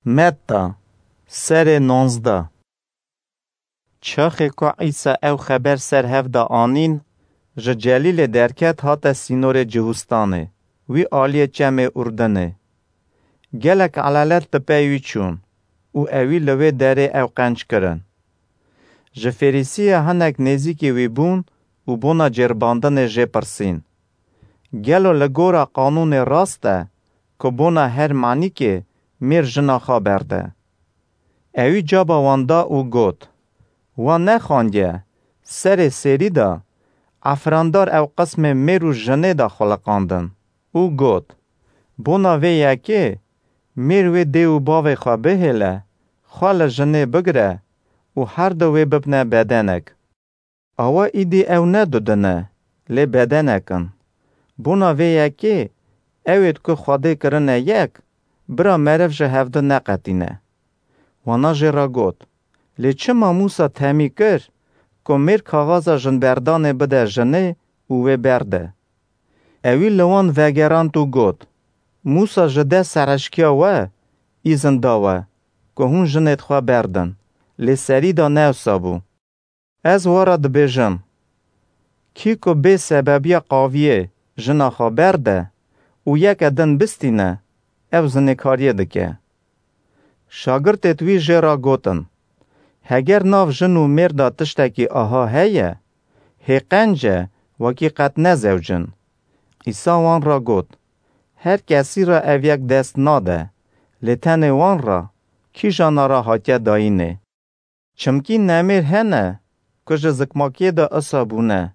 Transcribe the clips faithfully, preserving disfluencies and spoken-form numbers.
Metta, serê nonzdeh. Çaxê ku Îsa ew xeber ser hev de anîn, ji Celîlê derket, hate sînorê Cihûstanê, wî aliyê çemê Urdinê. Gelek elalet bi pey wî çûn û ewî li wê derê ew qenc kirin. Ji Fêrîsiya hinek nêzîkî wî bûn û bona cêrbandinê jê pirsîn: Gelo li gora qanûnê rast e ku bona her manîkê mêr jina xwe berde? Ewî caba wan da û got: Wan nexandiye, serê sêrî de efrandar ew qismê mêr û jinê de xuliqandin û got: Bona vê yekê mêr wê dê û bavê xwe bihêle, xwe li jinê bigire û her du wê bibne bedenek. Awa îdî ew ne du din e, lê bedenek in. Bona vê yekê ew ê ku Xwedê kirine yek, bira meriv ji hevdu neqetîne. Wana jê re got: Lê çima Mûsa temî kir ku mêr kaxaza jinberdanê bide jinê û wê berde? Ewî li wan vegerand û got: Mûsa ji dest serhişkiya we îzin da we ku hûn jinêd xwe berdin, lê serî de ne wisa bû. Ez we re dibêjim, kî ku bê sebebiya qaviyê jina xwe berde û yeke din bistîne, ew zinêkariyê dike. Şagirtêd wî jê re gotin: Heger nav jin û mêr de tiştekî aha heye, hê qenc e wekî qet nezewcin. Îsa wan re got: Her kesî re ev yek dest nade, lê tenê wan re, kîjana re hatiye dayînê. Çimkî nemêr hene ku ji zikmakiyê de isa bûne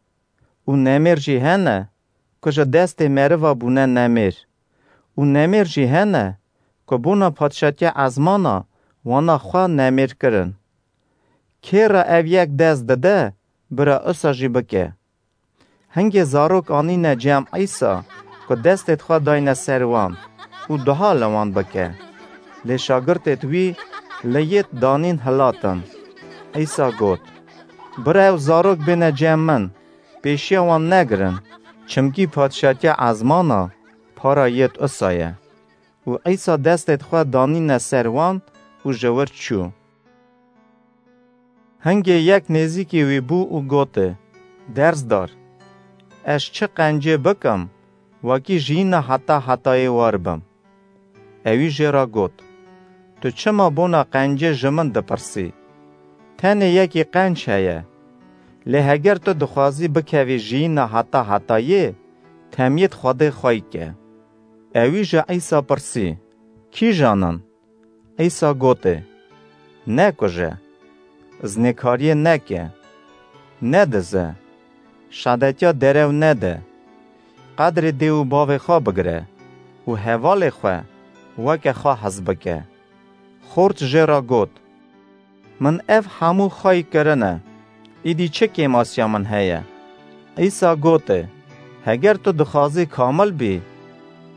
û nemêr jî hene ku ji destê meriva bûne nemêr û nemêr jî hene ku bona padşatiya ezmana wana xwe nemêr kirin. Kê re ev yek dest dide, bira isa jî bike. Hingê zarok anîne cem Îsa ku destêd xwe dayne ser wan û duha li wan bike. Lê şagirtêd wî li yêd danîn hilatin. Îsa got: Bira ew zarok bêne cem min, pêşiya wan negirin, çimkî padşatiya ezmana para yêd isa ye. Û Îsa destêd xwe danîne ser wan û ji wir çû. Hingê yek nêzîkî wî bû û gotê: Dersdar, ez çi qencê bikim, wekî jiyîna heta hetayê war bim? Ewî jê re got: Tu çima bona qencê ji min dipirsî? Tenê yekî qenc heye. Lê heger tu dixwazî bikevî jiyîna heta hetayê, temiyêd Xwedê xwey ke. Ewî ji Îsa pirsî: Kîjan in? Îsa gotê: Nekuje, zinêkariyê neke, nedize, şadetiya derew nede, qedrê dê û bavê xwe bigire û hevalê xwe weke xwe hez bike. Xort jê re got: Min ev hemû xwey kirine, îdî çi kêmasiya min heye? Îsa gotê: Heger tu dixwazî kamil bî,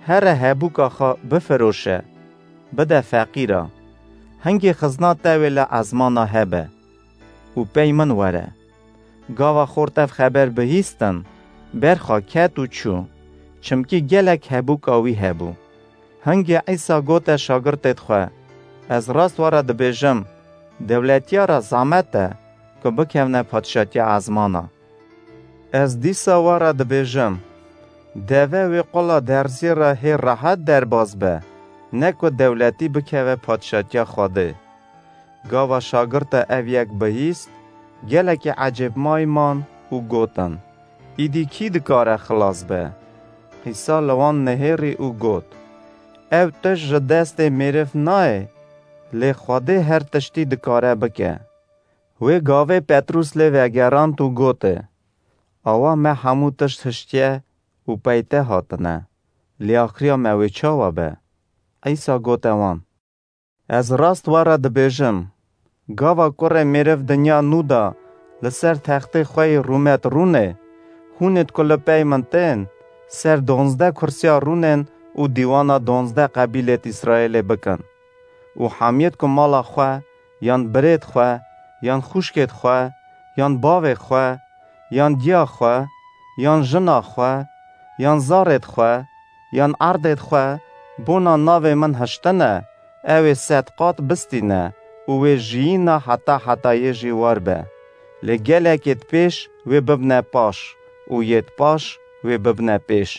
here hebûka xwe bifiroşe, bide feqîra, hingê xizna te wê li ezmana hebe û pey min were. Gava xort ev xeber bihîstin, berxa ket û çû, çimkî gelek hebûka wî hebû. Hingê Îsa gote şagirtêd xwe: Ez rast we re dibêjim, dewletiya re zamet e ku bikevne padşatiya ezmana. Ez dîsa we re dibêjim, deve wê qula derziyê re hê rehet derbas be, ne ku dewletî bikeve padşatiya Xwedê. Gava şagirta ev yek bihîst, gelekî ecêbmayî man û gotin: Îdî kî dikare xilas be? Îsa li wan nihêrî û got: Ev tişt ji destê mêriv nayê, lê Xwedê her tiştî dikare bike. Wê gavê Petrûs lê vegerand û gotê: Awa me hemû tişt hiştiye û pey te hatine, lê axiriya me wê çawa be? Îsa gote wan: Ez rast we re dibêjim, gava Kurê Mêriv dinya nû de li ser textê xwe yê rûmet rûnê, hûnêd ku li pey min tên, ser donzdeh kursiya rûnên û dîwana donzdeh qebîlêd Îsraêlê bikin û hemiyêd ku mala xwe, yan birêd xwe, yan xûşkêd xwe, yan bavê xwe, yan diya xwe, yan jina xwe, yan zarêd xwe, yan erdêd xwe bona navê min hiştine, Ew ê sed qat bistîne û wê jiyîna heta hetayê jî war be. Lê gelek ê di pêş wê bibne paş û yê di paş wê bibne pêş.